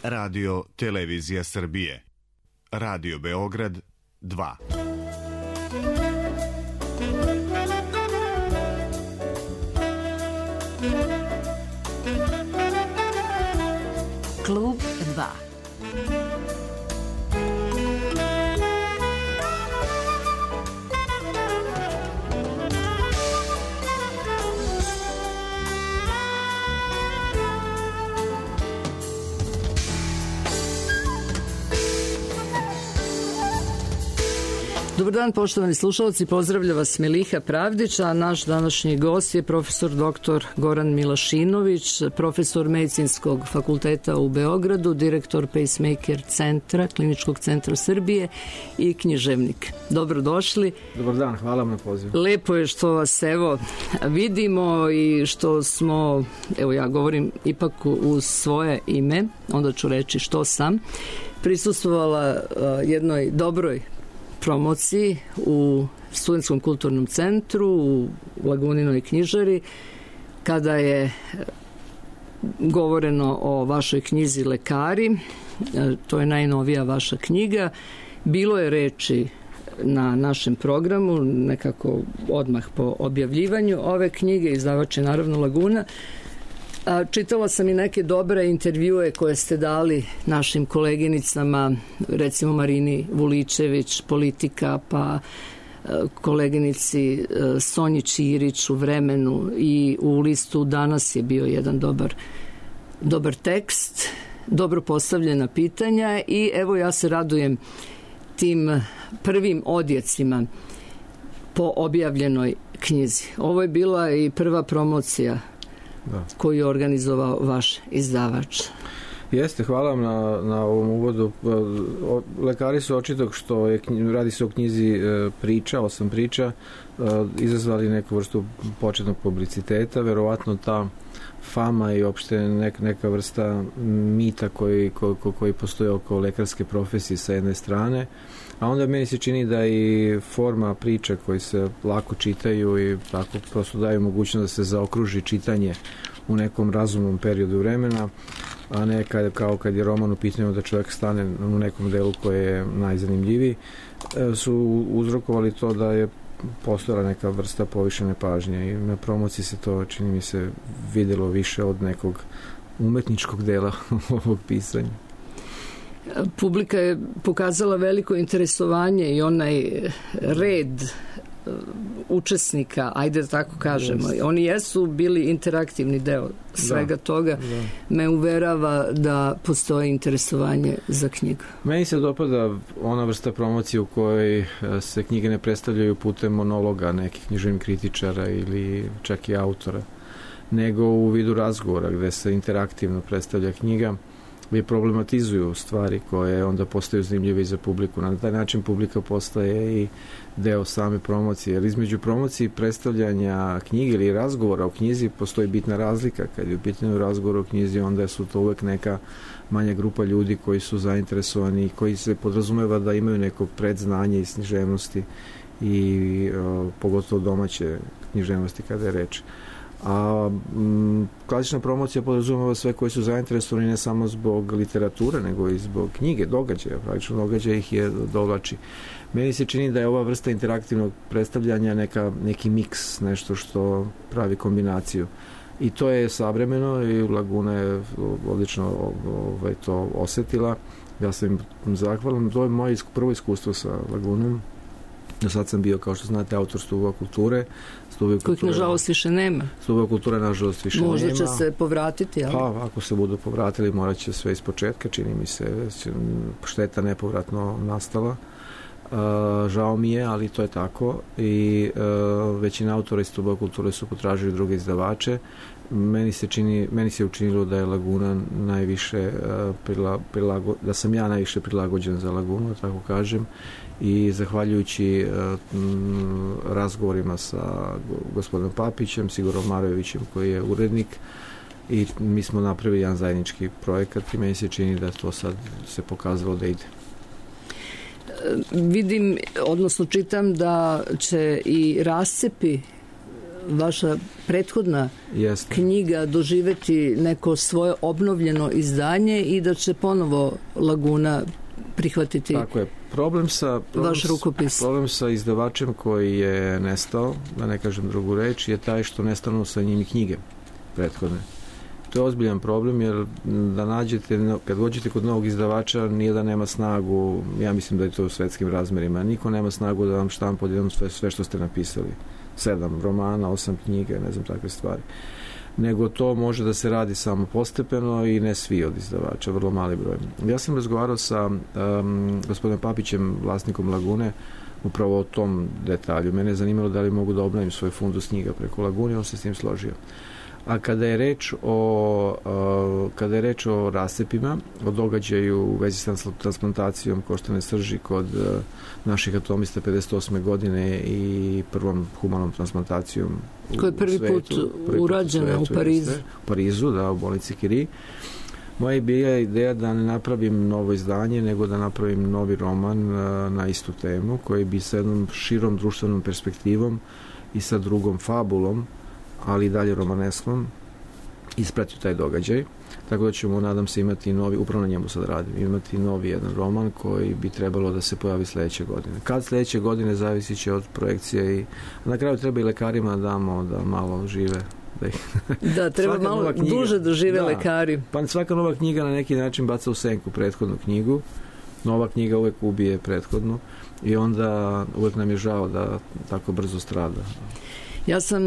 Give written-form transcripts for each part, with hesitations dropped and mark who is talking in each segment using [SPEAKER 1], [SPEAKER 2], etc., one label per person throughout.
[SPEAKER 1] Radio Televizija Srbije. Radio Beograd 2.
[SPEAKER 2] Klub 2.
[SPEAKER 3] Dobar dan, poštovani slušalci, pozdravlja vas Miliha Pravdić, a naš današnji gost je profesor dr. Goran Milašinović, profesor Medicinskog fakulteta u Beogradu, direktor Pacemaker centra, Kliničkog centra Srbije i književnik. Dobrodošli.
[SPEAKER 4] Dobar dan, hvala vam na pozivu.
[SPEAKER 3] Lepo je što vas evo vidimo i što smo, evo ja govorim ipak u svoje ime, onda ću reći što sam, prisustvovala jednoj dobroj promociji u Studentskom kulturnom centru u Laguninoj knjižari, kada je govoreno o vašoj knjizi Lekari. To je najnovija vaša knjiga. Bilo je reči na našem programu, nekako odmah po objavljivanju ove knjige, izdavač je naravno Laguna. Čitala sam i neke dobre intervjue koje ste dali našim koleginicama, recimo Marini Vuličević, Politika, pa koleginici Sonji Čirić u Vremenu, i u listu Danas je bio jedan dobar tekst, dobro postavljena pitanja, i evo ja se radujem tim prvim odjecima po objavljenoj knjizi. Ovo je bila i prva promocija koju je organizovao vaš izdavač.
[SPEAKER 4] Jeste, hvala vam na ovom uvodu. Lekari su očito, što je, radi se o knjizi priča, 8 priča, izazvali neku vrstu početnog publiciteta. Verovatno ta fama i opšte neka vrsta mita koji postoje oko lekarske profesije sa jedne strane, a onda meni se čini da i forma priča koji se lako čitaju i tako prosto daju mogućnost da se zaokruži čitanje u nekom razumnom periodu vremena, a ne kao kad je roman u pitanju da čovjek stane u nekom delu koji je najzanimljiviji, su uzrokovali to da je postojala neka vrsta povišene pažnje, i na promociji se to, čini mi se, vidjelo više od nekog umetničkog dela ovog pisanja.
[SPEAKER 3] Publika je pokazala veliko interesovanje i onaj red učesnika, ajde da tako kažemo. Oni jesu bili interaktivni deo svega toga. Me uverava da postoji interesovanje za knjigu.
[SPEAKER 4] Meni se dopada ona vrsta promocije u kojoj se knjige ne predstavljaju putem monologa nekih književnih kritičara ili čak i autora, nego u vidu razgovora gde se interaktivno predstavlja knjiga, gdje problematizuju stvari koje onda postaju zanimljive i za publiku. Na taj način publika postaje i deo same promocije, jer između promocije i predstavljanja knjige ili razgovora o knjizi postoji bitna razlika. Kad je u pitanju razgovor o knjizi, onda su to uvek neka manja grupa ljudi koji su zainteresovani i koji se podrazumeva da imaju neko predznanje iz književnosti i pogotovo domaće književnosti kada je reč. A klasična promocija podrazumeva sve koji su zainteresovani ne samo zbog literature, nego i zbog knjige, događaja. Praktično događaja ih je dovlači. Meni se čini da je ova vrsta interaktivnog predstavljanja neki miks, nešto što pravi kombinaciju. I to je savremeno i Laguna je odlično to osetila. Ja sam im zahvalan. To je moje prvo iskustvo sa Lagunom. Do sad sam bio, kao što znate, autor Stubova kulture.
[SPEAKER 3] Kojih nažalost više nema.
[SPEAKER 4] Stubova kultura nažalost više nema.
[SPEAKER 3] Možda će se povratiti, ali?
[SPEAKER 4] Pa, ako se budu povratili, morat će sve iz početka, čini mi se, šteta nepovratno nastala. Žao mi je, ali to je tako, i većina autora iz Stubova kulture su potražili druge izdavače. Meni se učinilo da je Laguna najviše da sam ja najviše prilagođen za Lagunu, tako kažem, i zahvaljujući razgovorima sa gospodinom Papićem, Sigorom Marojevićem koji je urednik, i mi smo napravili jedan zajednički projekat i meni se čini da to sad se pokazalo da ide.
[SPEAKER 3] Vidim, odnosno čitam da će i rascepi vaša prethodna knjiga doživeti neko svoje obnovljeno izdanje i da će ponovo Laguna prihvatiti vaš rukopis.
[SPEAKER 4] Problem sa izdavačem koji je nestao, da ne kažem drugu reč, je taj što nestanu sa njim i knjige prethodne. To je ozbiljan problem, jer da nađete, kad dođete kod novog izdavača, nije da nema snagu, ja mislim da je to u svetskim razmerima, niko nema snagu da vam štampa odjednom sve što ste napisali. 7 romana, 8 knjiga, ne znam, takve stvari. Nego to može da se radi samo postepeno i ne svi od izdavača, vrlo mali broj. Ja sam razgovarao sa gospodinom Papićem, vlasnikom Lagune, upravo o tom detalju. Mene je zanimalo da li mogu da obnovim svoj fundus knjiga preko Lagune, on se s tim složio. A kada je reč o rascepima, o događaju u vezi s transplantacijom koštane srži kod naših atomista 58. godine i prvom humanom transplantacijom
[SPEAKER 3] koja je prvi put urađena u Parizu.
[SPEAKER 4] U Parizu, da, u bolnici Curie. Moja je bila ideja da ne napravim novo izdanje, nego da napravim novi roman na istu temu, koji bi sa jednom širom društvenom perspektivom i sa drugom fabulom, ali i dalje romaneskom, ispratio taj događaj. Tako da ćemo, nadam se, imati novi, upravo na njemu sad radim, imati novi jedan roman koji bi trebalo da se pojavi sledeće godine. Kad sledeće godine zavisit će od projekcije i na kraju treba i lekarima damo da malo žive.
[SPEAKER 3] Da, treba malo duže da žive lekari.
[SPEAKER 4] Pa svaka nova knjiga na neki način baca u senku prethodnu knjigu. Nova knjiga uvek ubije prethodnu i onda uvek nam je žao da tako brzo strada.
[SPEAKER 3] Ja sam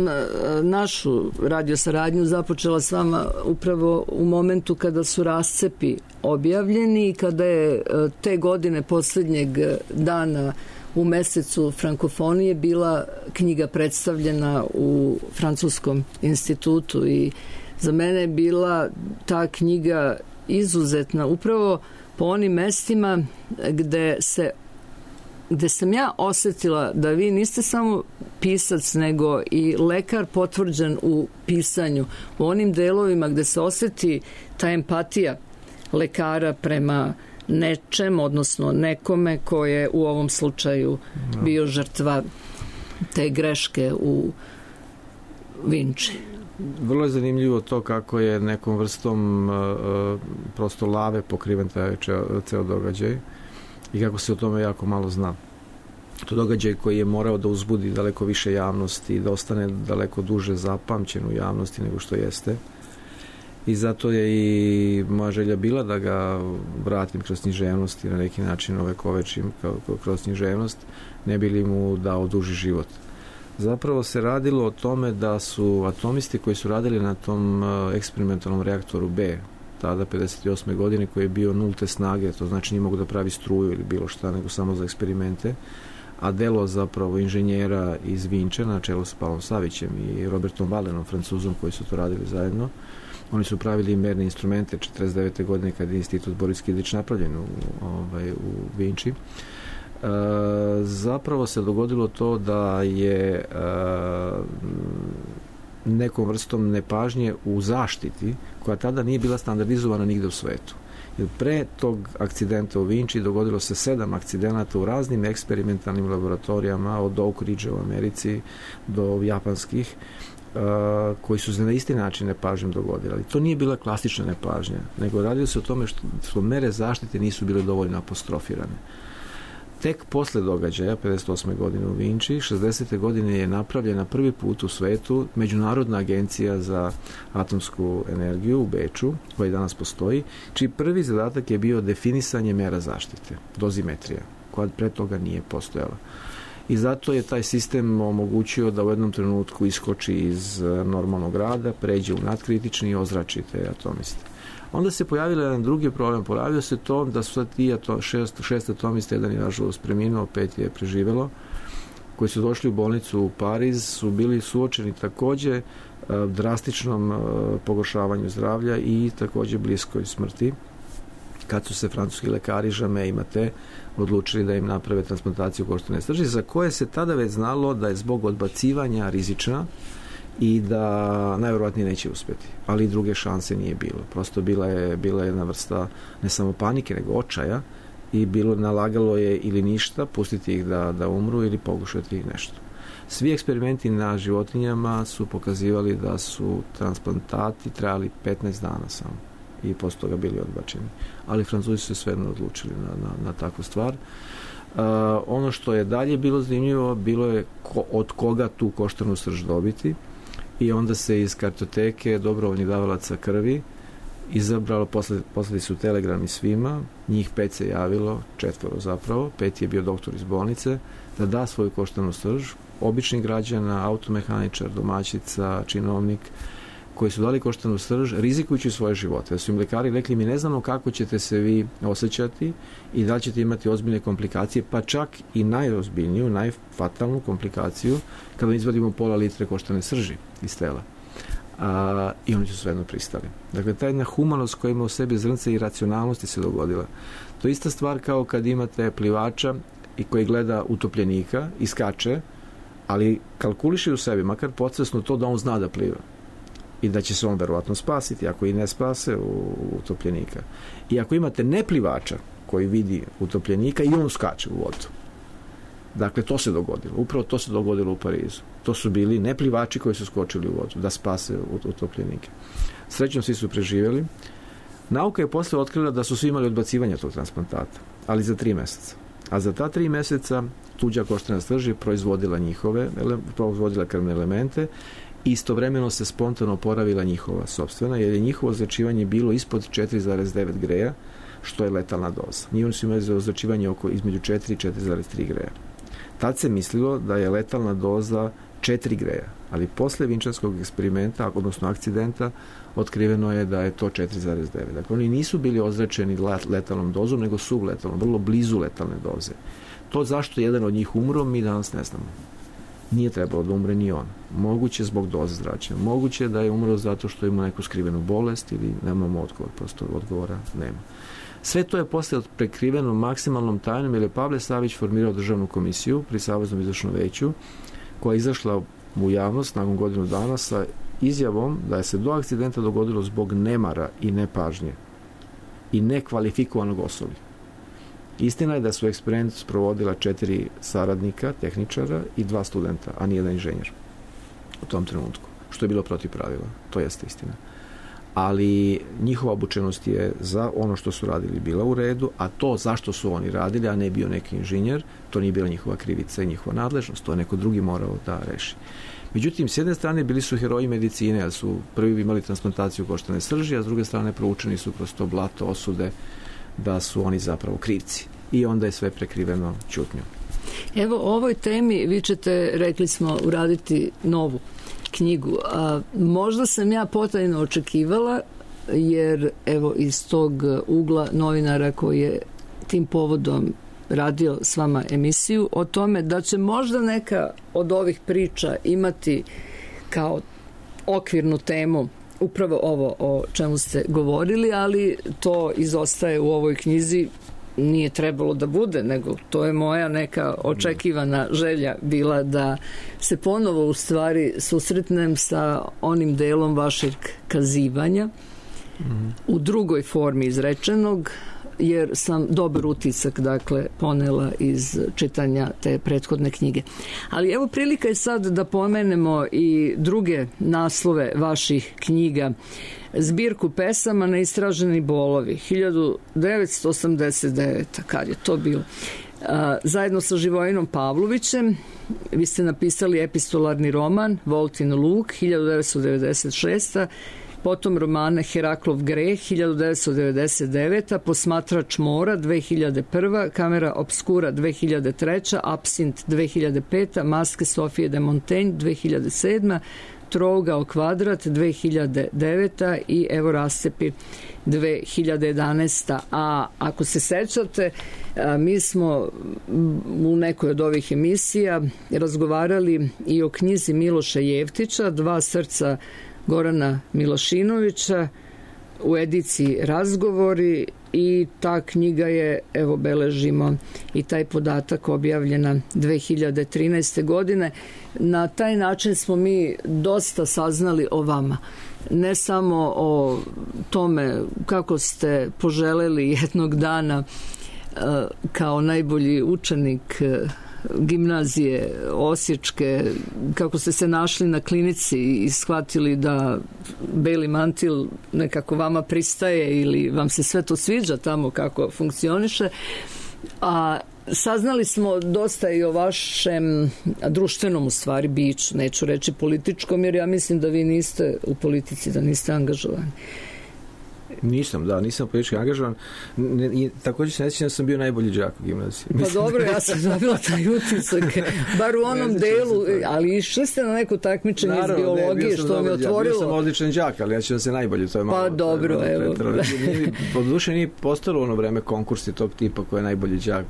[SPEAKER 3] našu radio saradnju započela s vama upravo u momentu kada su rascepi objavljeni i kada je te godine poslednjeg dana u mesecu frankofonije bila knjiga predstavljena u Francuskom institutu i za mene je bila ta knjiga izuzetna upravo po onim mestima gde sam ja osetila da vi niste samo pisac, nego i lekar potvrđen u pisanju. U onim delovima gde se oseti ta empatija lekara prema nečem, odnosno nekome ko je u ovom slučaju bio žrtva te greške u Vinči.
[SPEAKER 4] Vrlo je zanimljivo to kako je nekom vrstom prosto lave pokriven taj ceo događaj i kako se o tome jako malo zna. To događaj koji je morao da uzbudi daleko više javnosti i da ostane daleko duže zapamćen u javnosti nego što jeste. I zato je i moja želja bila da ga vratim kroz književnost i na neki način ovekovečim kroz književnost, ne bi li mu dao duži život. Zapravo se radilo o tome da su atomisti koji su radili na tom eksperimentalnom reaktoru B, tada 58. godine, koji je bio nulte snage, to znači nije mogu da pravi struju ili bilo šta, nego samo za eksperimente, a delo zapravo inženjera iz Vinče na čelu sa Pavlom Savićem i Robertom Valenom, Francuzom, koji su to radili zajedno. Oni su pravili merne instrumente 49. godine kad je institut Boris Kildić napravljen u Vinči. Zapravo se dogodilo to da je nekom vrstom nepažnje u zaštiti, koja tada nije bila standardizovana nigde u svetu. Jer pre tog akcidenta u Vinči dogodilo se 7 akcidenata u raznim eksperimentalnim laboratorijama, od Oak Ridge u Americi do japanskih, koji su se na isti način nepažnjom dogodili. Ali to nije bila klasična nepažnja, nego radilo se o tome što mere zaštite nisu bile dovoljno apostrofirane. Tek posle događaja, 58. godine u Vinči, 60. godine je napravljena prvi put u svetu Međunarodna agencija za atomsku energiju u Beču, koja danas postoji, čiji prvi zadatak je bio definisanje mera zaštite, dozimetrija, koja pre toga nije postojala. I zato je taj sistem omogućio da u jednom trenutku iskoči iz normalnog rada, pređe u nadkritični i ozrači te atomiste. Onda se pojavio jedan drugi problem. Pojavio se to da su ti šest atomista, jedan je nažalost preminuo, 5 je preživelo, koji su došli u bolnicu u Pariz, su bili suočeni takođe drastičnom pogoršavanju zdravlja i takođe bliskoj smrti, kad su se francuski lekari Jamais i Maté odlučili da im naprave transplantaciju koštane srži, za koje se tada već znalo da je zbog odbacivanja rizična i da najverovatnije neće uspeti. Ali i druge šanse nije bilo. Prosto bila je jedna vrsta ne samo panike, nego očaja i nalagalo je ili ništa, pustiti ih da umru ili pokušati ih nešto. Svi eksperimenti na životinjama su pokazivali da su transplantati trajali 15 dana samo i posle toga bili odbačeni. Ali Francuzi su se svejedno odlučili na takvu stvar. Ono što je dalje bilo zanimljivo, bilo je od koga tu koštanu srž dobiti, i onda se iz kartoteke dobrovoljnih davalaca krvi izabralo, poslali su telegrami svima, njih 5 se javilo, 4 zapravo, 5 je bio doktor iz bolnice, da da svoju koštanu srž, običnih građana, automehaničar, domaćica, činovnik, koji su dali koštanu srž, rizikujući svoje živote. Da su im lekari rekli, mi ne znamo kako ćete se vi osjećati i da ćete imati ozbiljne komplikacije, pa čak i najozbiljniju, najfatalnu komplikaciju kada izvadimo pola litre koštane srži iz tela. I oni su svejedno pristali. Dakle, ta jedna humanost koja ima u sebi zrnce i racionalnosti se dogodila. To je ista stvar kao kad imate plivača i koji gleda utopljenika i skače, ali kalkuliše u sebi, makar podsvesno to da on zna da pliva i da će se on verovatno spasiti, ako i ne spase utopljenika. I ako imate neplivača koji vidi utopljenika i on skače u vodu. Dakle, to se dogodilo. Upravo to se dogodilo u Parizu. To su bili neplivači koji su skočili u vodu da spase utopljenike. Srećno svi su preživjeli. Nauka je posle otkrila da su svi imali odbacivanje tog transplantata, ali za 3 meseca. A za ta 3 meseca tuđa koštana srž je proizvodila krvne elemente i istovremeno se spontano oporavila njihova sopstvena, jer je njihovo ozračivanje bilo ispod 4,9 greja, što je letalna doza. Oni su imali ozračivanje između 4 i 4,3 greja. Tad se mislilo da je letalna doza 4 greja, ali posle vinčanskog eksperimenta, odnosno akcidenta, otkriveno je da je to 4,9. Dakle, oni nisu bili ozračeni letalnom dozom, nego subletalnom, vrlo blizu letalne doze. To zašto jedan od njih umro, mi danas ne znamo. Nije trebalo da umre ni on. Moguće zbog doze zračenja. Moguće da je umro zato što ima neku skrivenu bolest ili nemamo odgovor, prosto odgovora nema. Sve to je posle prekriveno maksimalnom tajnom, jer je Pavle Savić formirao državnu komisiju pri Saveznom izvršnom veću, koja je izašla u javnost nakon godinu dana sa izjavom da je se do akcidenta dogodilo zbog nemara i nepažnje i nekvalifikovanog osoblja. Istina je da su eksperiment sprovodila 4 saradnika, tehničara i 2 studenta, a nijedan inženjer u tom trenutku, što je bilo protiv pravila. To jeste istina. Ali njihova obučenost je za ono što su radili bila u redu, a to zašto su oni radili, a ne bio neki inženjer, to nije bila njihova krivica i njihova nadležnost, to je neko drugi morao da reši. Međutim, s jedne strane bili su heroji medicine, jer su prvi imali transplantaciju koštane srži, a s druge strane proučeni su kroz to blato osude da su oni zapravo krivci. I onda je sve prekriveno ćutnjom.
[SPEAKER 3] Evo, o ovoj temi vi ćete, rekli smo, uraditi novu knjigu. Možda sam ja potajno očekivala, jer evo iz tog ugla novinara koji je tim povodom radio s vama emisiju, o tome da će možda neka od ovih priča imati kao okvirnu temu upravo ovo o čemu ste govorili, ali to izostaje u ovoj knjizi. Nije trebalo da bude, nego to je moja neka očekivana želja bila da se ponovo u stvari susretnem sa onim delom vašeg kazivanja u drugoj formi izrečenog, jer sam dobar utisak, dakle, ponela iz čitanja te prethodne knjige. Ali evo, prilika je sad da pomenemo i druge naslove vaših knjiga. Zbirku pesama Neistraženi bolovi, 1989. Kad je to bilo? Zajedno sa Živojinom Pavlovićem vi ste napisali epistolarni roman Voltin Luk, 1996. Potom romane Heraklov greh, 1999. Posmatrač mora, 2001. Kamera obskura, 2003. Absint, 2005. Maske Sofije de Montaigne, 2007. Trougao kvadrat, 2009. i Evo rascepi, 2011. A ako se sećate, mi smo u nekoj od ovih emisija razgovarali i o knjizi Miloša Jevtića, Dva srca Gorana Milošinovića, u ediciji Razgovori, i ta knjiga je, evo beležimo i taj podatak, objavljena 2013. godine. Na taj način smo mi dosta saznali o vama. Ne samo o tome kako ste poželeli jednog dana kao najbolji učenik gimnazije osječke, kako ste se našli na klinici i shvatili da beli mantil nekako vama pristaje ili vam se sve to sviđa tamo kako funkcioniše, a saznali smo dosta i o vašem društvenom u stvari biću, neću reći političkom, jer ja mislim da vi niste u politici, da niste angažovani.
[SPEAKER 4] Nisam politički angažovan. Također se ne sjećam da sam bio najbolji đak u gimnaziji.
[SPEAKER 3] Pa dobro, ja sam dobila taj utisak, bar u onom delu, ali išli ste na neko takmičenje iz biologije, što mi otvorilo.
[SPEAKER 4] Bio sam odličan đak, ali ja ću da se najbolji, to je malo.
[SPEAKER 3] Pa dobro, evo.
[SPEAKER 4] Po duše nije postalo ono vreme konkursi tog tipa ko je najbolji đak.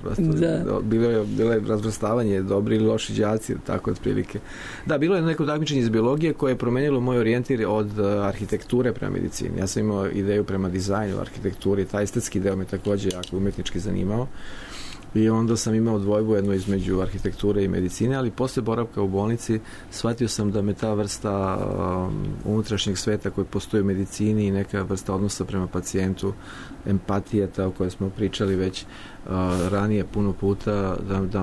[SPEAKER 4] Bilo je razvrstavanje, dobri ili loši đaci, tako otprilike. Da, bilo je neko takmičenje iz biologije koje je promenilo moj orijentir od arhitekture prema medicini. Ja sam imao ideju prema dizajnu, arhitekturi, taj estetski deo me također jako umetnički zanimao i onda sam imao dvojbu jedno između arhitekture i medicine, ali posle boravka u bolnici shvatio sam da me ta vrsta unutrašnjeg sveta koji postoji u medicini i neka vrsta odnosa prema pacijentu, empatija, ta o kojoj smo pričali već ranije puno puta,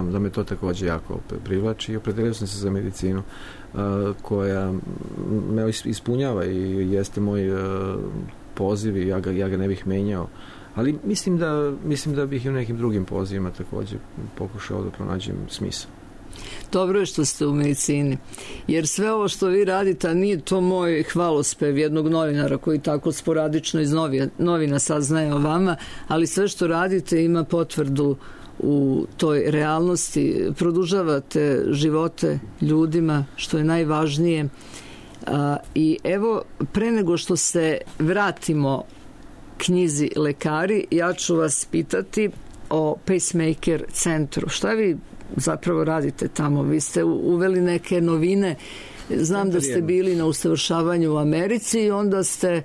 [SPEAKER 4] da me to također jako privlači i opredelio sam se za medicinu koja me ispunjava i jeste moj poziv i ja ga ne bih menjao, ali mislim da bih i u nekim drugim pozivima također pokušao da pronađem smisao.
[SPEAKER 3] Dobro je što ste u medicini, jer sve ovo što vi radite, a nije to moj hvalospev jednog novinara koji tako sporadično iz novina saznaje o vama, ali sve što radite ima potvrdu u toj realnosti, produžavate živote ljudima, što je najvažnije. I evo, pre nego što se vratimo knjizi Lekari, ja ću vas pitati o Pacemaker centru. Šta vi zapravo radite tamo? Vi ste uveli neke novine. Znam da ste bili na usavršavanju u Americi i onda ste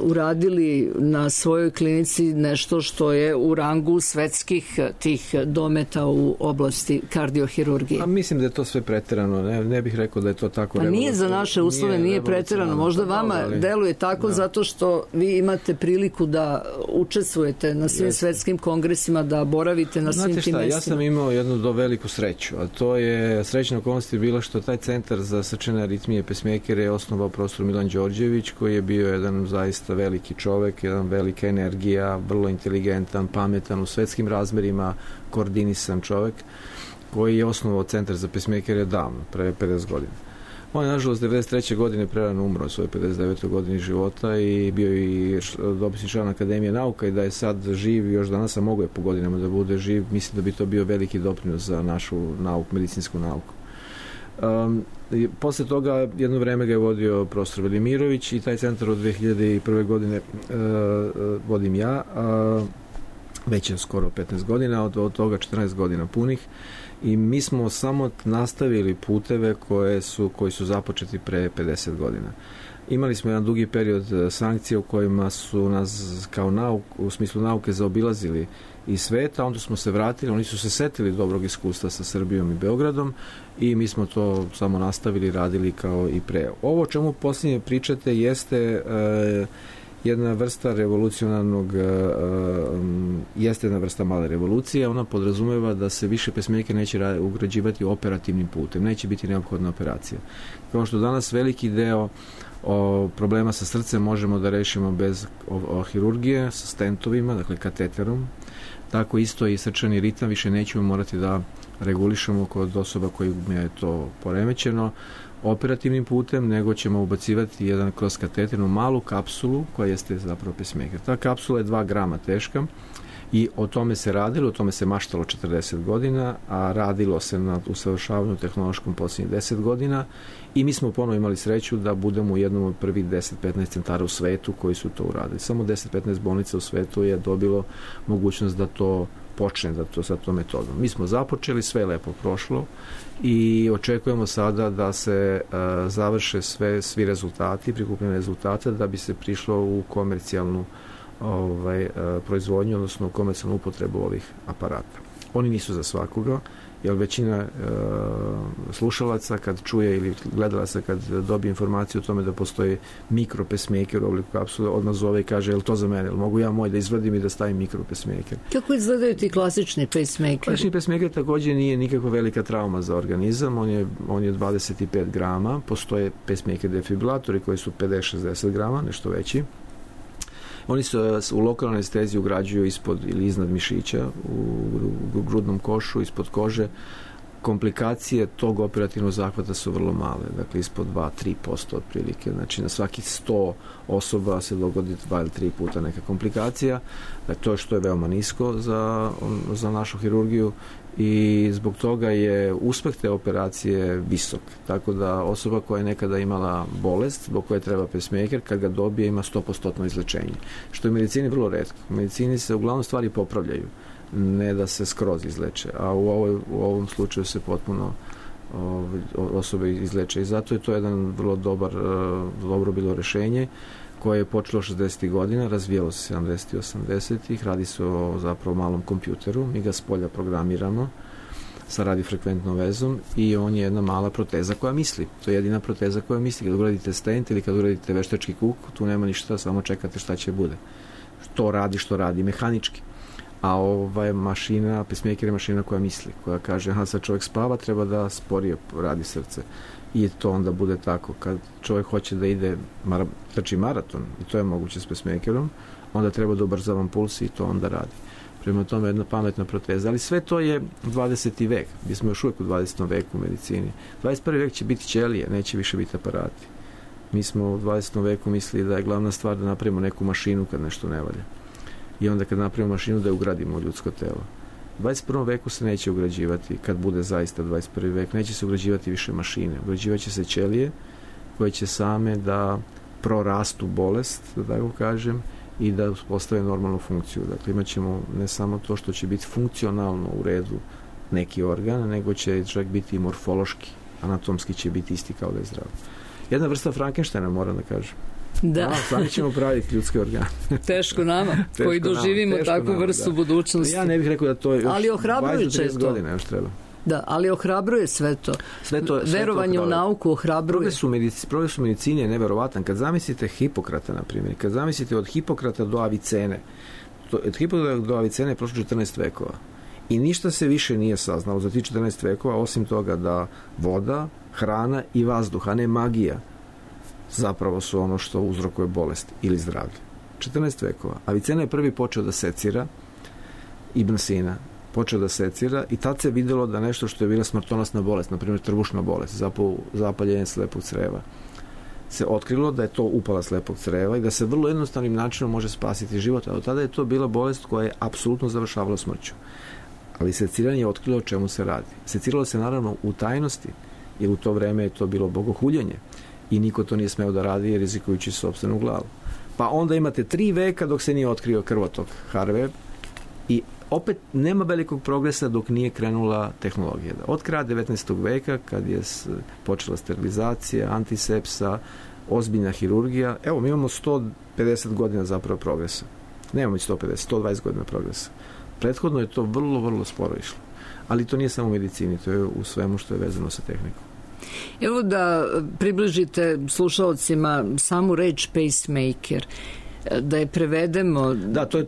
[SPEAKER 3] uradili na svojoj klinici nešto što je u rangu svetskih tih dometa u oblasti kardiohirurgije.
[SPEAKER 4] A mislim da je to sve preterano, ne bih rekao da je to tako.
[SPEAKER 3] Pa nije za naše uslove, nije preterano. Možda vama deluje tako zato što vi imate priliku da učestvujete na svim svetskim kongresima, da boravite na svim tim mestima.
[SPEAKER 4] Ja sam imao jednu veliku sreću, a to je srećna okolnost je bila što taj centar za srčane aritmije Pacemakere je osnovao profesor Milan Đorđević, koji je bio jedan zaista veliki čovek, jedan velika energija, vrlo inteligentan, pametan, u svetskim razmerima koordinisan čovek, koji je osnovao centar za pacemakere davno, pre 50 godina. On je, nažalost, 93. godine prerano umro u svojoj 59. godini života i bio i dopisni član Akademije nauka i da je sad živ, još danas, a mogu je po godinama da bude živ, mislim da bi to bio veliki doprinos za našu nauku, medicinsku nauku. Posle toga jedno vreme ga je vodio profesor Velimirović i taj centar od 2001. godine vodim ja, već je skoro 15 godina, od toga 14 godina punih, i mi smo samo nastavili puteve koji su započeti pre 50 godina. Imali smo jedan dugi period sankcija u kojima su nas kao u smislu nauke zaobilazili i sveta, onda smo se vratili, oni su se setili dobrog iskustva sa Srbijom i Beogradom i mi smo to samo nastavili, radili kao i pre. Ovo o čemu posljednje pričate jeste jedna vrsta revolucionarnog, jeste jedna vrsta male revolucije, ona podrazumeva da se više pacemaker neće ugrađivati operativnim putem, neće biti neophodna operacija. Kao što danas veliki deo problema sa srcem možemo da rešimo bez hirurgije, sa stentovima, dakle kateterom, tako isto i srčani ritam više nećemo morati da regulišemo kod osoba kojima je to poremećeno operativnim putem, nego ćemo ubacivati jedan kroz kateternu malu kapsulu koja jeste zapravo pacemaker. Ta kapsula je 2 grama teška i o tome se radilo, o tome se maštalo 40 godina, a radilo se na usavršavanju tehnološkom posljednjih 10 godina i mi smo ponovo imali sreću da budemo u jednom od prvih 10-15 centara u svetu koji su to uradili. Samo 10-15 bolnica u svetu je dobilo mogućnost da to počne sa tom metodom. Mi smo započeli, sve je lepo prošlo i očekujemo sada da se završe svi rezultati, prikupljene rezultate, da bi se prišlo u komercijalnu proizvodnju, odnosno komercijalnu upotrebu ovih aparata. Oni nisu za svakoga, jer većina slušalaca kad čuje ili gledalaca kad dobije informaciju o tome da postoji mikro pacemaker u obliku kapsule, odmah zove i kaže, je li to za mene, ili mogu ja moj da izvadim i da stavim mikro pacemaker.
[SPEAKER 3] Kako izgledaju ti klasični pacemakeri?
[SPEAKER 4] Klasični pacemaker također nije nikakva velika trauma za organizam, on je 25 grama, postoje pacemaker defibrilatori koji su 50-60 grama, nešto veći. Oni se u lokalnoj anesteziji ugrađuju ispod ili iznad mišića, u grudnom košu, ispod kože. Komplikacije tog operativnog zahvata su vrlo male, dakle ispod 2-3% otprilike. Znači na svakih 100 osoba se dogodi 2 ili 3 puta neka komplikacija. Dakle, to je što je veoma nisko za našu hirurgiju i zbog toga je uspeh te operacije visok. Tako da osoba koja je nekada imala bolest, zbog koje treba pacemaker, kad ga dobije ima 100% izlečenje. Što je u medicini vrlo retko. U medicini se uglavnom stvari popravljaju, ne da se skroz izleče, a u ovom slučaju se potpuno osobe izleče i zato je to jedan vrlo dobro bilo rešenje koje je počelo 60. godina, razvijalo se 70. i 80. Radi se o zapravo malom kompjuteru, mi ga s polja programiramo sa radiofrekventnom vezom i on je jedna mala proteza koja misli. To je jedina proteza koja misli. Kad uradite stent ili kad uradite veštački kuk, tu nema ništa, samo čekate šta će bude. Što radi mehanički. A mašina, pacemaker je mašina koja misli, koja kaže, aha, sad čovjek spava, treba da sporije radi srce. I to onda bude tako. Kad čovjek hoće da ide trči maraton, i to je moguće s pacemakerom, onda treba da ubrzavam puls i to onda radi. Prema tome jedna pametna proteza. Ali sve to je 20. vek. Mi smo još uvijek u 20. veku u medicini. 21. vek će biti ćelije, neće više biti aparati. Mi smo u 20. veku mislili da je glavna stvar da napravimo neku mašinu kad nešto ne valja. I onda kad napravimo mašinu da je ugradimo u ljudsko telo. U 21. veku se neće ugrađivati, kad bude zaista 21. vek, neće se ugrađivati više mašine. Ugrađivaće se ćelije koje će same da prorastu bolest, da tako kažem, i da postave normalnu funkciju. Dakle, imat ćemo ne samo to što će biti funkcionalno u redu neki organ, nego će čovjek biti i morfološki, anatomski će biti isti kao da je zdrav. Jedna vrsta Frankensteina, moram da kažem.
[SPEAKER 3] Da.
[SPEAKER 4] Sami ćemo praviti ljudske organe.
[SPEAKER 3] Teško nama, koji doživimo takvu vrstu budućnosti.
[SPEAKER 4] Ja ne bih rekao da to još 20-30 godina još treba.
[SPEAKER 3] Da, ali ohrabruje sve to. Verovanje u nauku ohrabruje.
[SPEAKER 4] Progres u medicini je neverovatan. Kad zamislite Hipokrata, na primjer, kad zamislite od Hipokrata do Avicene, od Hipokrata do Avicene je prošlo 14 vekova. I ništa se više nije saznalo za ti 14 vekova, osim toga da voda, hrana i vazduh, a ne magija, zapravo su ono što uzrokuje bolest ili zdravlje. 14 vekova. Avicena je prvi počeo da secira, Ibn Sina počeo da secira i tad se vidjelo da nešto što je bila smrtonosna bolest, na primjer trbušna bolest, zapaljenje slepog creva, se otkrilo da je to upala slepog creva i da se vrlo jednostavnim načinom može spasiti život, a od tada je to bila bolest koja je apsolutno završavala smrću. Ali seciranje je otkrilo o čemu se radi. Seciralo se naravno u tajnosti, jer u to vreme je to bilo bogohuljenje i niko to nije smeo da radi jer rizikujući sopstvenu glavu. Pa onda imate 3 veka dok se nije otkrio krvotok Harvey i opet nema velikog progresa dok nije krenula tehnologija. Od kraja 19. veka, kad je počela sterilizacija, antisepsa, ozbiljna hirurgija, evo mi imamo 150 godina zapravo progresa. Nemamo 120 godina progresa. Prethodno je to vrlo, vrlo sporo išlo. Ali to nije samo u medicini, to je u svemu što je vezano sa tehnikom.
[SPEAKER 3] Evo da približite slušalcima samu reč pacemaker, da je prevedemo. Da,
[SPEAKER 4] to je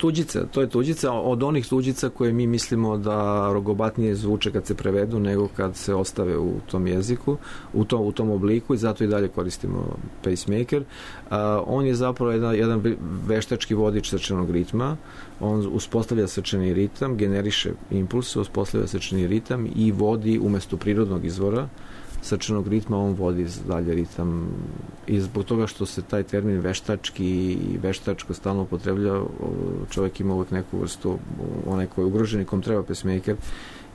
[SPEAKER 4] tuđica od onih tuđica koje mi mislimo da rogobatnije zvuče kad se prevedu nego kad se ostave u tom jeziku, u tom obliku i zato i dalje koristimo pacemaker. On je zapravo jedan veštački vodič srčanog ritma, on uspostavlja srčani ritam, generiše impulse, uspostavlja srčani ritam i vodi umjesto prirodnog izvora srčanog ritma, on vodi dalje ritam i zbog toga što se taj termin veštački i veštačko stalno upotreblja, čovjek ima uvijek neku vrstu, onaj koji je ugrožen i kom treba pacemaker,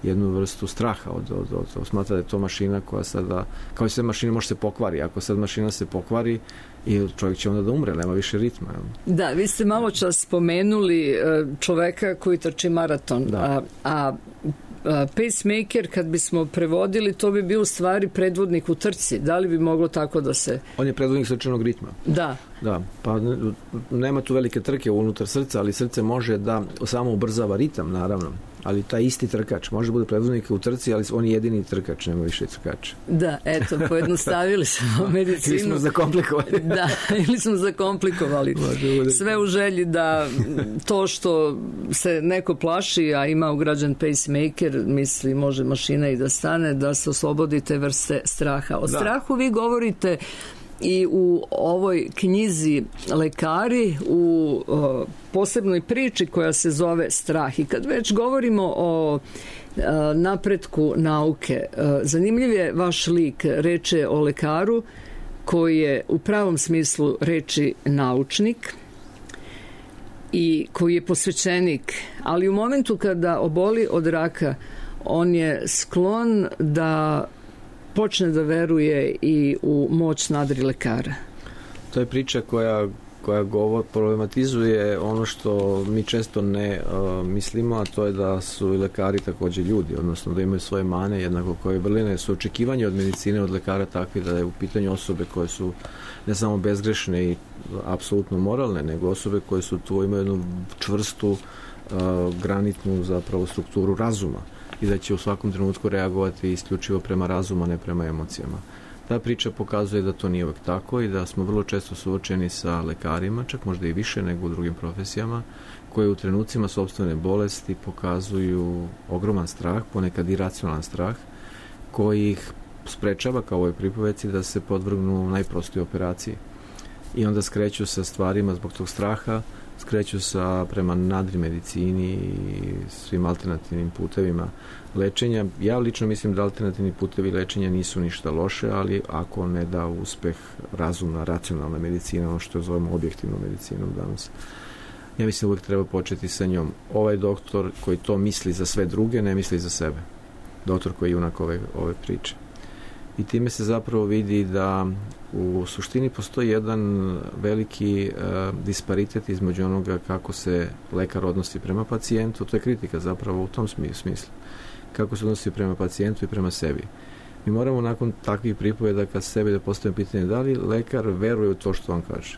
[SPEAKER 4] jednu vrstu straha od smatra da je to mašina koja sada, kao i sve mašine može se pokvari, ako sad mašina se pokvari i čovjek će onda da umre, nema više ritma.
[SPEAKER 3] Da, vi ste malo čas spomenuli čoveka koji trči maraton, a pacemaker, kad bismo prevodili, to bi bio u stvari predvodnik u trci. Da li bi moglo tako da se...
[SPEAKER 4] On je predvodnik srčanog ritma.
[SPEAKER 3] Da.
[SPEAKER 4] Da, pa nema tu velike trke unutar srca, ali srce može da samo ubrzava ritam, naravno. ali taj isti trkač može bude predvodnik u trci, ali on je jedini trkač, nema više trkača.
[SPEAKER 3] Da, eto, pojednostavili smo medicinu.
[SPEAKER 4] Ili smo zakomplikovali.
[SPEAKER 3] Da, ili smo zakomplikovali. Sve u želji da to što se neko plaši, a ima ugrađen pacemaker, misli može mašina i da stane, da se oslobodi te vrste straha. O strahu vi govorite i u ovoj knjizi Lekari, u posebnoj priči koja se zove Strah. I kad već govorimo o napretku nauke, zanimljiv je vaš lik. Reč je o lekaru koji je u pravom smislu reči naučnik i koji je posvećenik, ali u momentu kada oboli od raka, on je sklon da počne da veruje i u moć nadrilekara.
[SPEAKER 4] To je priča koja problematizuje ono što mi često ne mislimo, a to je da su i lekari također ljudi, odnosno da imaju svoje mane, jednako koje vrline su očekivanje od medicine, od lekara takvi da je u pitanju osobe koje su ne samo bezgrešne i apsolutno moralne, nego osobe koje su tu, imaju jednu čvrstu granitnu zapravo strukturu razuma i da će u svakom trenutku reagovati isključivo prema razumu, a ne prema emocijama. Ta priča pokazuje da to nije uvek tako i da smo vrlo često suočeni sa lekarima, čak možda i više nego u drugim profesijama, koje u trenucima sopstvene bolesti pokazuju ogroman strah, ponekad iracionalan strah, koji ih sprečava, kao u ovoj pripoveci, da se podvrgnu najprostoj operaciji. I onda skreću sa stvarima zbog tog straha, skreću prema nadrimedicini i svim alternativnim putevima lečenja. Ja lično mislim da alternativni putevi lečenja nisu ništa loše, ali ako ne da uspeh razumna, racionalna medicina, ono što zovemo objektivnom medicinom danas. Ja mislim uvijek treba početi sa njom. Ovaj doktor koji to misli za sve druge, ne misli za sebe. Doktor koji je junak ove priče. I time se zapravo vidi da u suštini postoji jedan veliki disparitet između onoga kako se lekar odnosi prema pacijentu. To je kritika zapravo u tom smislu. Kako se odnosi prema pacijentu i prema sebi. Mi moramo nakon takvih pripovedaka sebi da postavimo pitanje da li lekar veruje u to što on kaže.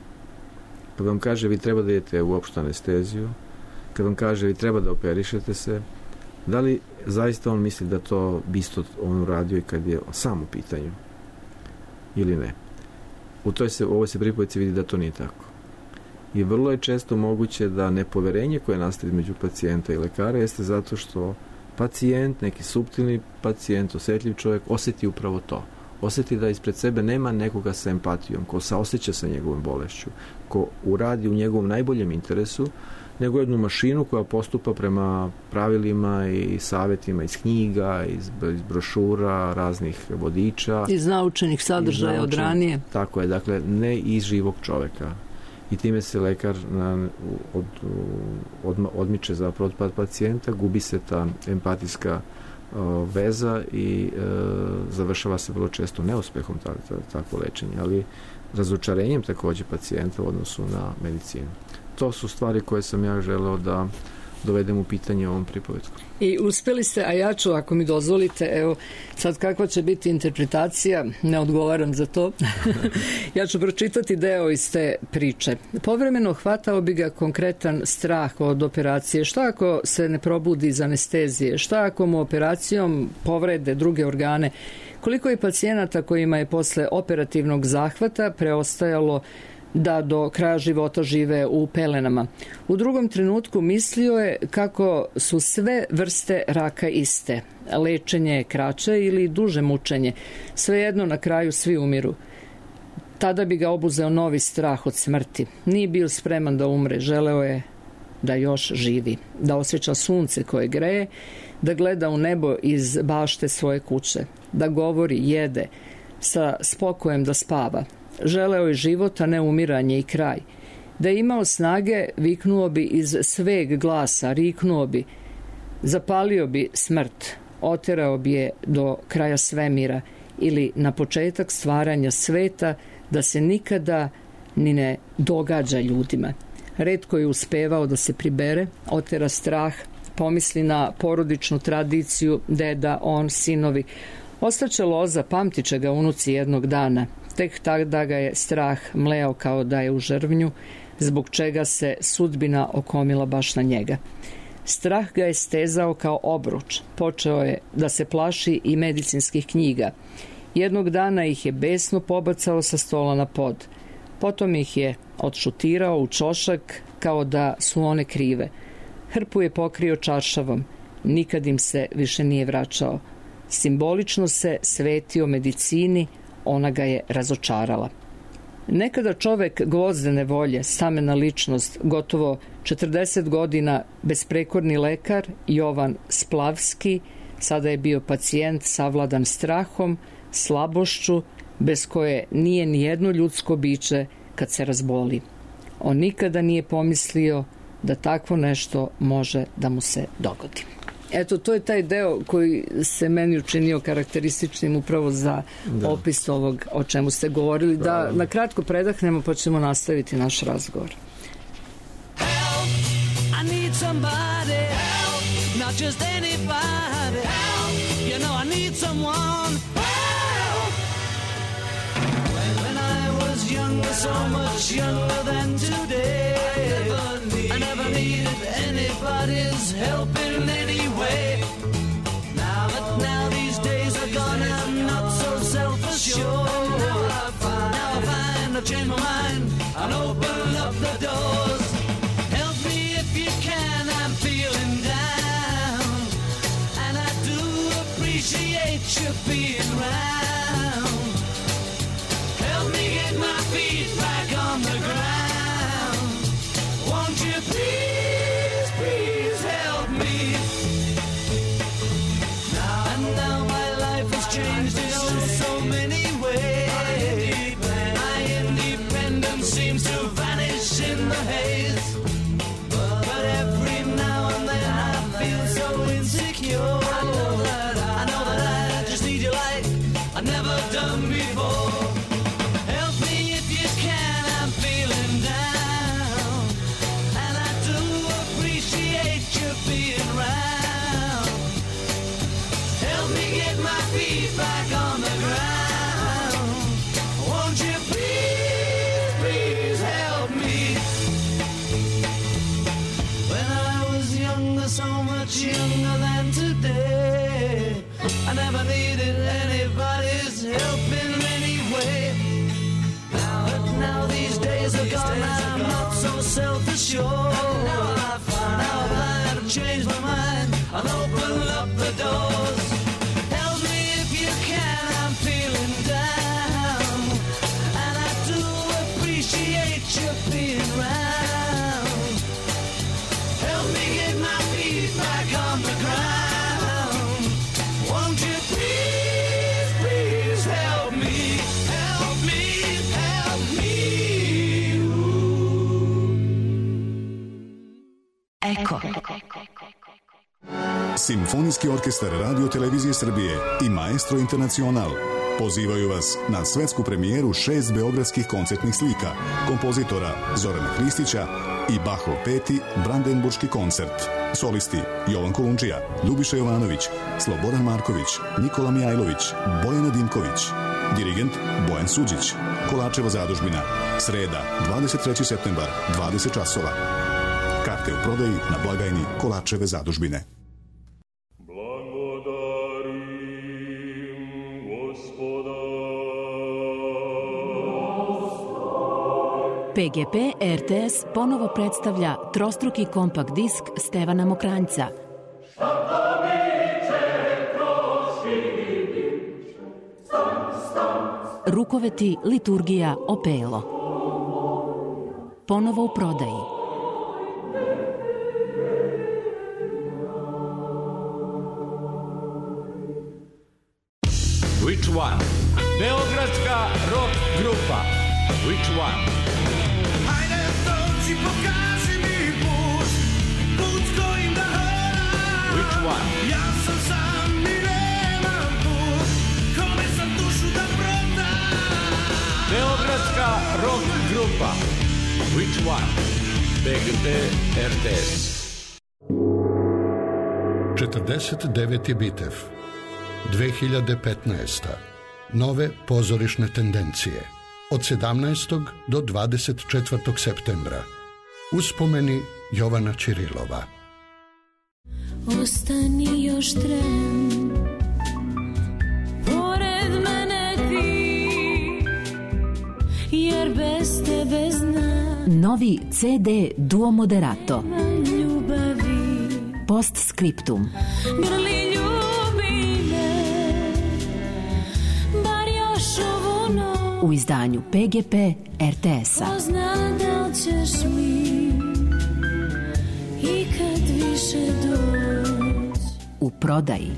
[SPEAKER 4] Kad vam kaže vi treba da idete u opštu anesteziju, kad vam kaže vi treba da operišete se, da li zaista on misli da to bi isto on uradio i kad je sam u pitanju ili ne. U ovoj se pripovedci vidi da to nije tako. I vrlo je često moguće da nepoverenje koje nastaje između pacijenta i lekara jeste zato što pacijent, neki suptilni pacijent, osjetljiv čovjek, osjeti upravo to. Osjeti da ispred sebe nema nekoga sa empatijom, ko saoseća sa njegovom bolešću, ko uradi u njegovom najboljem interesu, nego jednu mašinu koja postupa prema pravilima i savjetima iz knjiga, iz brošura, raznih vodiča.
[SPEAKER 3] Iz naučenih sadržaja od ranije.
[SPEAKER 4] Tako je, dakle, ne iz živog čoveka. I time se lekar odmiče zapravo od pacijenta, gubi se ta empatijska veza i završava se vrlo često neuspehom takvo lečenje, ali razočarenjem također pacijenta u odnosu na medicinu. To su stvari koje sam ja želeo da dovedem u pitanje ovom pripovetku.
[SPEAKER 3] I uspeli ste, a ja ću, ako mi dozvolite, evo, sad kakva će biti interpretacija, ne odgovaram za to, ja ću pročitati deo iz te priče. Povremeno hvatao bi ga konkretan strah od operacije. Šta ako se ne probudi iz anestezije? Šta ako mu operacijom povrede druge organe? Koliko je pacijenata kojima je posle operativnog zahvata preostajalo da do kraja života žive u pelenama. U drugom trenutku mislio je kako su sve vrste raka iste. Lečenje je kraće ili duže mučenje. Svejedno na kraju svi umiru. Tada bi ga obuzeo novi strah od smrti. Nije bio spreman da umre. Želeo je da još živi. Da osjeća sunce koje greje, da gleda u nebo iz bašte svoje kuće. Da govori, jede, sa spokojem da spava. Želeo je život, a ne umiranje i kraj. Da je imao snage, viknuo bi iz sveg glasa, riknuo bi, zapalio bi smrt, oterao bi je do kraja svemira ili na početak stvaranja sveta, da se nikada ni ne događa ljudima. Retko je uspevao da se pribere, otera strah, pomisli na porodičnu tradiciju, deda, on, sinovi. Ostaće loza, pamtit će ga unuci jednog dana. Tek tada ga je strah mleo kao da je u žrvnju, zbog čega se sudbina okomila baš na njega. Strah ga je stezao kao obruč. Počeo je da se plaši i medicinskih knjiga. Jednog dana ih je besno pobacao sa stola na pod. Potom ih je odšutirao u čošak kao da su one krive. Hrpu je pokrio čaršavom. Nikad im se više nije vraćao. Simbolično se svetio medicini, ona ga je razočarala. Nekada čovek gvozdene volje, stamena ličnost, gotovo 40 godina besprekorni lekar, Jovan Splavski, sada je bio pacijent savladan strahom, slabošću, bez koje nije ni jedno ljudsko biće kad se razboli. On nikada nije pomislio da takvo nešto može da mu se dogodi. Eto, to je taj deo koji se meni učinio karakterističnim upravo za opis ovog o čemu ste govorili. Da na kratko predahnemo pa ćemo nastaviti naš razgovor.
[SPEAKER 2] Help, I need somebody, help, not just anybody, help, you know I need someone, help. When I was younger, so much younger than today, I never needed anybody's help in any way. Now these days are gone, I'm not so self-assured. Now I find I've changed my mind, I'll open up the doors. Help me if you can, I'm feeling down, and I do appreciate you being around. Help me get my feet back on the ground. Won't you please, please help me? Now my life has changed in so many ways. My independence seems to vanish in the haze. But every now and then I feel so insecure. I know that I just need you like I've never done before. Help me if you can, I'm feeling down, and I do appreciate you being around. Help me get my feet back on the ground. Won't you please, please help me? When I was younger, so much younger than today, I never needed anybody's help in any way. But now these days are gone, I'm not so self-assured. Now I've changed my mind, I'll open up the doors. Help me if you can, I'm feeling down, and I do appreciate you being around. Help me get my feet back on the ground. Won't you please, please help me? Help me, help me.
[SPEAKER 5] Eko.
[SPEAKER 1] Simfonijski orkestar Radio Televizije Srbije i Maestro Internacional pozivaju vas na svetsku premijeru 6 beogradskih koncertnih slika kompozitora Zorana Hristića i Bachov 5. Brandenburški koncert. Solisti Jovan Kolundžija, Ljubiša Jovanović, Slobodan Marković, Nikola Mijajlović, Bojana Dimković. Dirigent Bojan Suđić. Kolačeva zadužbina. Sreda, 23. septembar, 20 časova. Karte u prodaji na blagajni Kolačeve zadužbine.
[SPEAKER 5] PGP RTS ponovo predstavlja trostruki kompakt disk Stevana Mokranjca. Rukoveti, liturgija, opelo. Ponovo u prodaji.
[SPEAKER 6] Which one? Beogradska rock grupa. Which one?
[SPEAKER 2] Hajde dođi, pokaži mi put s kojim da hodam.
[SPEAKER 6] Which one?
[SPEAKER 2] Ja sam sam i nemam put, kome sam dušu da prodam.
[SPEAKER 6] Beogradska rock grupa. Which one? PGP RTS.
[SPEAKER 7] 49. Bitev. 2015. Nove pozorišne tendencije. Od 17. do 24. septembra. Uspomeni Jovana Ćirilova.
[SPEAKER 8] ostani još tren, pored mene ti, jer bez tebe znam.
[SPEAKER 5] Novi CD Duo Moderato.
[SPEAKER 8] Ljubavi.
[SPEAKER 5] Postscriptum.
[SPEAKER 8] Grli ljubi me, bar još ovu noć.
[SPEAKER 5] U izdanju PGP RTS-a.
[SPEAKER 8] Ko zna da li ćeš mi ikad više doć.
[SPEAKER 5] U prodaji.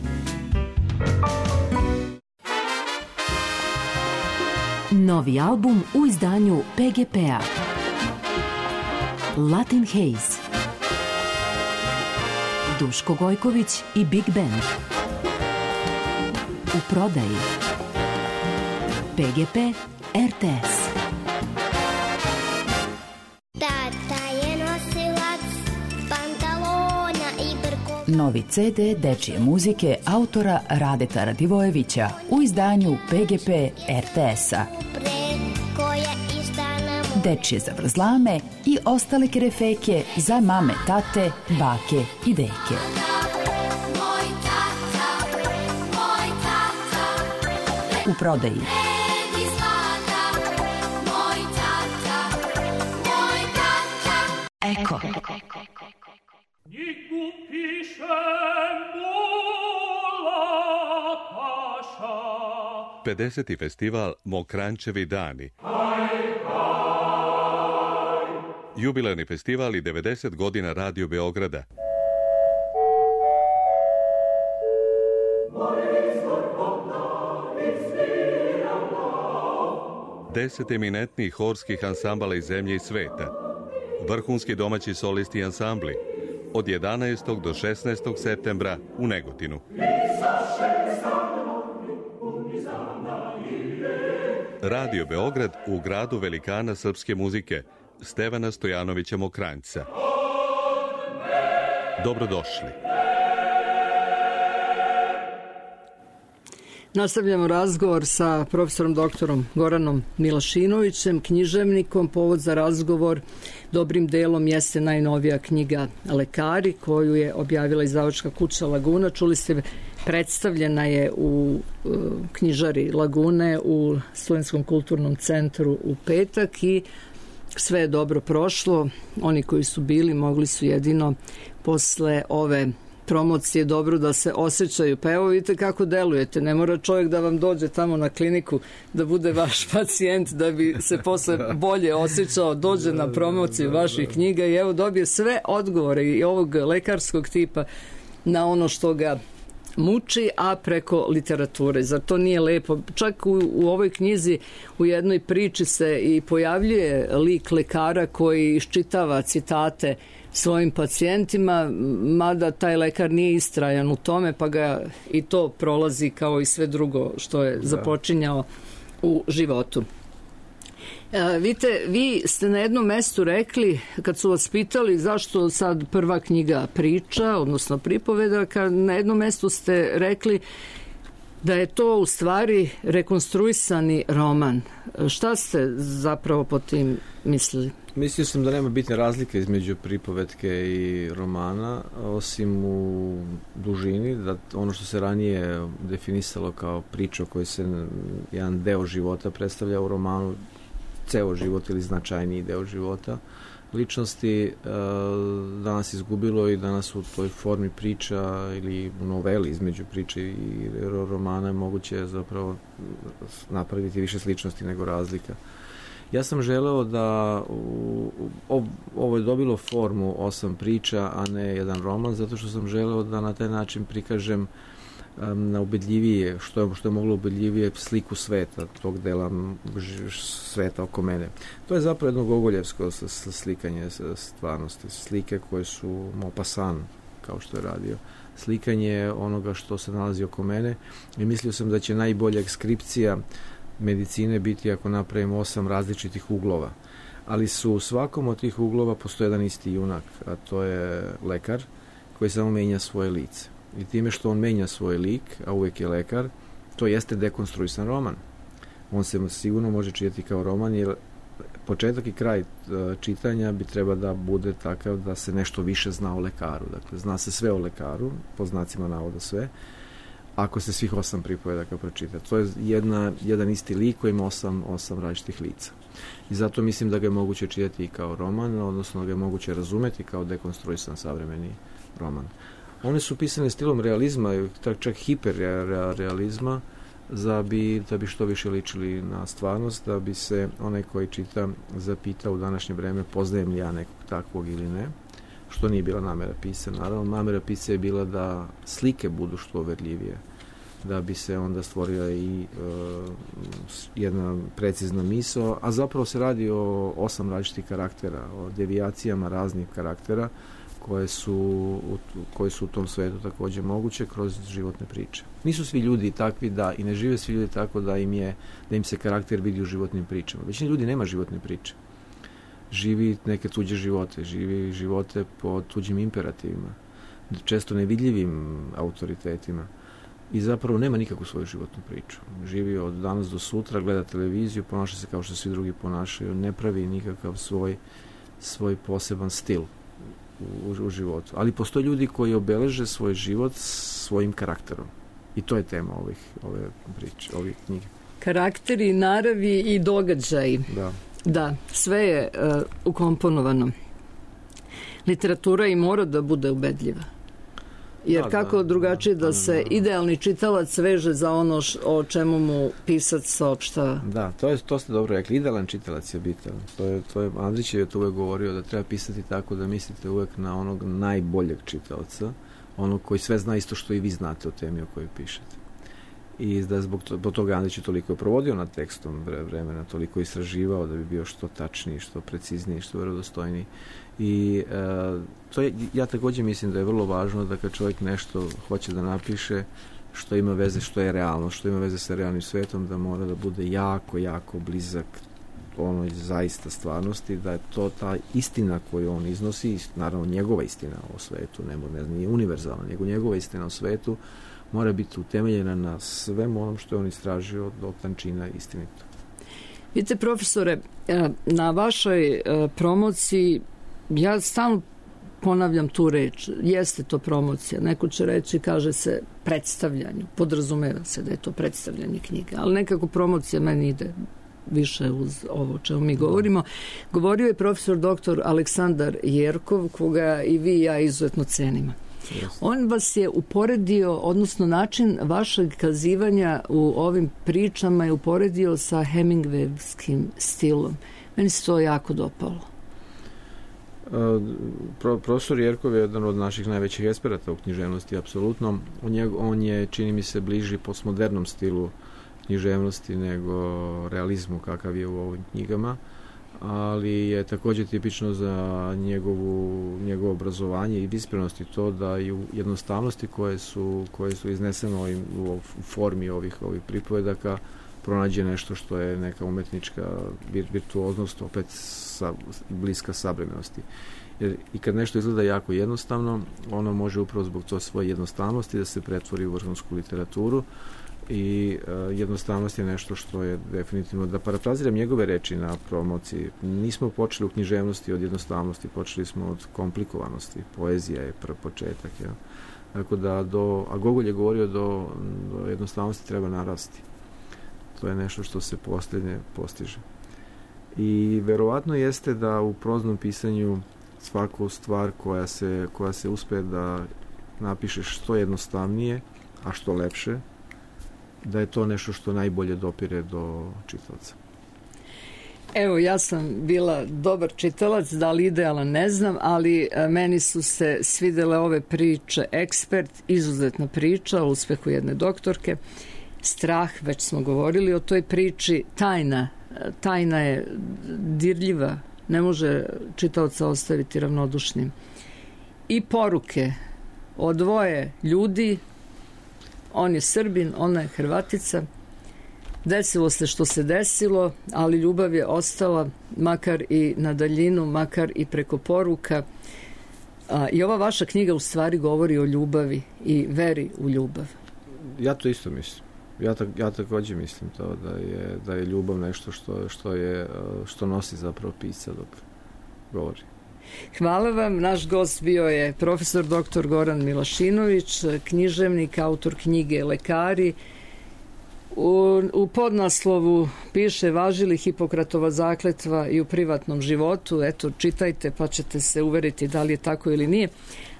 [SPEAKER 5] Novi album u izdanju PGP-a. Latin Haze. Duško Gojković i Big Band. U prodaji. PGP RTS.
[SPEAKER 9] Tata je nosilac pantalona i brko.
[SPEAKER 10] Novi CD dečije muzike autora Radeta Radivojevića u izdanju PGP RTS-a. Dečije zavrzlame i ostale kerefeke za mame, tate, bake i deke. U prodaji. Eko.
[SPEAKER 11] 50. festival Mokrančevi dani. Jubilarni festival i 90 godina Radio Beograda. Deset eminentnih horskih ansambala iz zemlje i sveta. Vrhunski domaći solisti i ansambli. Od 11. do 16. septembra u Negotinu. Radio Beograd u gradu velikana srpske muzike Stevana Stojanovića Mokranjca. Dobrodošli.
[SPEAKER 3] Nastavljamo razgovor sa profesorom doktorom Goranom Milašinovićem, književnikom. Povod za razgovor dobrim delom jeste najnovija knjiga Lekari, koju je objavila izdavačka kuća Laguna. Čuli ste, predstavljena je u knjižari Lagune u Studentskom kulturnom centru u petak i sve je dobro prošlo. Oni koji su bili mogli su jedino posle ove promocije dobro da se osjećaju. Pa evo vidite kako delujete. Ne mora čovjek da vam dođe tamo na kliniku da bude vaš pacijent da bi se posle bolje osjećao, dođe na promociju vaših knjiga i evo dobije sve odgovore i ovog lekarskog tipa na ono što ga muči, a preko literature. Zar to nije lepo? Čak u ovoj knjizi u jednoj priči se i pojavljuje lik lekara koji iščitava citate svojim pacijentima, mada taj lekar nije istrajan u tome, pa ga i to prolazi kao i sve drugo što je započinjao u životu. Vidite, vi ste na jednom mestu rekli, kad su vas pitali zašto sad prva knjiga priča, odnosno pripoveda, na jednom mestu ste rekli da je to u stvari rekonstruisani roman. Šta ste zapravo po tim mislili?
[SPEAKER 4] Mislio sam da nema bitne razlike između pripovetke i romana, osim u dužini, da ono što se ranije definisalo kao priča o kojoj se jedan deo života predstavlja u romanu, ceo život ili značajniji deo života ličnosti, danas izgubilo i danas u toj formi priča ili u noveli između priče i romana je moguće zapravo napraviti više sličnosti nego razlika. Ja sam želeo da ovo je dobilo formu 8 priča, a ne jedan roman, zato što sam želeo da na taj način prikažem na ubedljivije, što je moglo ubedljivije sliku sveta, tog dela sveta oko mene. To je zapravo jedno gogoljevsko slikanje stvarnosti, slike koje su Maupassant, kao što je radio, slikanje onoga što se nalazi oko mene i mislio sam da će najbolja ekskripcija medicine biti ako napravimo 8 različitih uglova. Ali su u svakom od tih uglova postoji jedan isti junak, a to je lekar koji samo menja svoje lice. I time što on menja svoj lik, a uvijek je lekar, to jeste dekonstruisan roman. On se sigurno može čitati kao roman, jer početak i kraj čitanja bi treba da bude takav da se nešto više zna o lekaru. Dakle, zna se sve o lekaru, po znacima navoda sve, ako se svih 8 pripovedaka pročita. To je jedan isti lik koji ima 8 različitih lica. I zato mislim da ga je moguće čitati i kao roman, odnosno da ga je moguće razumeti kao dekonstruisan savremeni roman. One su pisane stilom realizma, čak hiperrealizma, da bi što više ličili na stvarnost, da bi se onaj koji čita zapitao u današnje vreme poznajem li ja nekog takvog ili ne, što nije bila namera pisa. Naravno, namera pisa je bila da slike budu što uverljivije, da bi se onda stvorila i jedna precizna misao, a zapravo se radi o 8 različitih karaktera, o devijacijama raznih karaktera koje su u tom svetu takođe moguće kroz životne priče. Nisu svi ljudi takvi i ne žive svi ljudi tako da im se karakter vidi u životnim pričama. Većina ljudi nema životne priče. Živi neke tuđe živote, živi živote po tuđim imperativima, često nevidljivim autoritetima i zapravo nema nikakvu svoju životnu priču. Živi od danas do sutra, gleda televiziju, ponaša se kao što svi drugi ponašaju, ne pravi nikakav svoj poseban stil u životu. Ali postoje ljudi koji obeleže svoj život svojim karakterom. I to je tema ove priče, ovih knjige.
[SPEAKER 3] Karakteri, naravi i događaji. Da, sve je ukomponovano. Literatura i mora da bude ubedljiva. Jer kako drugačije da se idealni čitalac veže za ono o čemu mu pisac saopštava.
[SPEAKER 4] Da, to ste dobro rekli. Idealan čitalac je bitan. To je Andrić je to uvek govorio da treba pisati tako da mislite uvek na onog najboljeg čitaoca, onog koji sve zna isto što i vi znate o temi o kojoj pišete. I da zbog toga Andrić je toliko provodio nad tekstom vremena, toliko istraživao da bi bio što tačniji, što precizniji, što verodostojniji. I ja takođe mislim da je vrlo važno da kad čovjek nešto hoće da napiše što ima veze, što je realno, što ima veze sa realnim svetom, da mora da bude jako, jako blizak onoj zaista stvarnosti, da je to ta istina koju on iznosi, naravno njegova istina o svetu, nije univerzalna, nego njegova istina o svetu mora biti utemeljena na svem onom što je on istražio do tančina istinito.
[SPEAKER 3] Vidite, profesore, na vašoj promociji ja stalno ponavljam tu reč, jeste to promocija, neko će reći, kaže se predstavljanju, podrazumeva se da je to predstavljanje knjige, ali nekako promocija meni ide više uz ovo o čemu mi govorimo. Govorio je profesor doktor Aleksandar Jerkov, koga i vi i ja izuzetno cenimo. On vas je uporedio, odnosno način vašeg kazivanja u ovim pričama je uporedio sa Hemingwayevskim stilom. Meni se to jako dopalo.
[SPEAKER 4] Profesor Jerkov je jedan od naših najvećih eksperata u književnosti, apsolutno. On je, čini mi se, bliži postmodernom stilu književnosti nego realizmu kakav je u ovim knjigama, ali je takođe tipično za njegovo obrazovanje i visprenost i to da i u jednostavnosti koje su iznesene u formi ovih pripovedaka pronađe nešto što je neka umetnička virtuoznost, opet bliska savremenosti. Jer i kad nešto izgleda jako jednostavno, ono može upravo zbog to svoje jednostavnosti da se pretvori u vrhunsku literaturu i jednostavnost je nešto što je definitivno, da parafraziram njegove reči na promociji, nismo počeli u književnosti od jednostavnosti, počeli smo od komplikovanosti, poezija je početak. Ja. Tako da a Gogol je govorio do jednostavnosti treba narasti. To je nešto što se posljednje postiže. I verovatno jeste da u proznom pisanju svaku stvar koja se uspe da napišeš što jednostavnije, a što lepše, da je to nešto što najbolje dopire do čitaoca.
[SPEAKER 3] Evo, ja sam bila dobar čitalac, da li idealan ne znam, ali meni su se svidele ove priče. Ekspert, izuzetna priča o uspehu jedne doktorke. Strah, već smo govorili o toj priči. Tajna je dirljiva, ne može čitaoca ostaviti ravnodušnim. I poruke o dvoje ljudi, on je Srbin, ona je Hrvatica. Desilo se što se desilo, ali ljubav je ostala, makar i na daljinu, makar i preko poruka. I ova vaša knjiga u stvari govori o ljubavi i veri u ljubav.
[SPEAKER 4] Ja to isto mislim. Ja takođe mislim to da je ljubav nešto što nosi zapravo pisca dok govori.
[SPEAKER 3] Hvala vam. Naš gost bio je profesor dr. Goran Milašinović, književnik, autor knjige Lekari. U podnaslovu piše: važi li Hipokratova zakletva i u privatnom životu? Eto, čitajte pa ćete se uveriti da li je tako ili nije.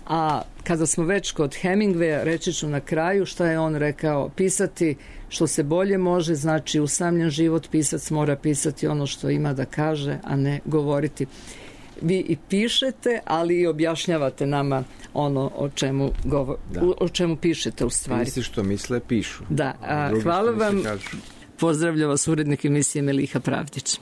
[SPEAKER 3] A kada smo već kod Hemingwaya, reći ću na kraju šta je on rekao: pisati što se bolje može, znači usamljen život, pisac mora pisati ono što ima da kaže, a ne govoriti. Vi i pišete, ali i objašnjavate nama ono o čemu pišete u stvari.
[SPEAKER 4] Misli što misle, pišu.
[SPEAKER 3] Da, hvala vam. Pozdravlja vas urednik emisije Meliha Pravdić.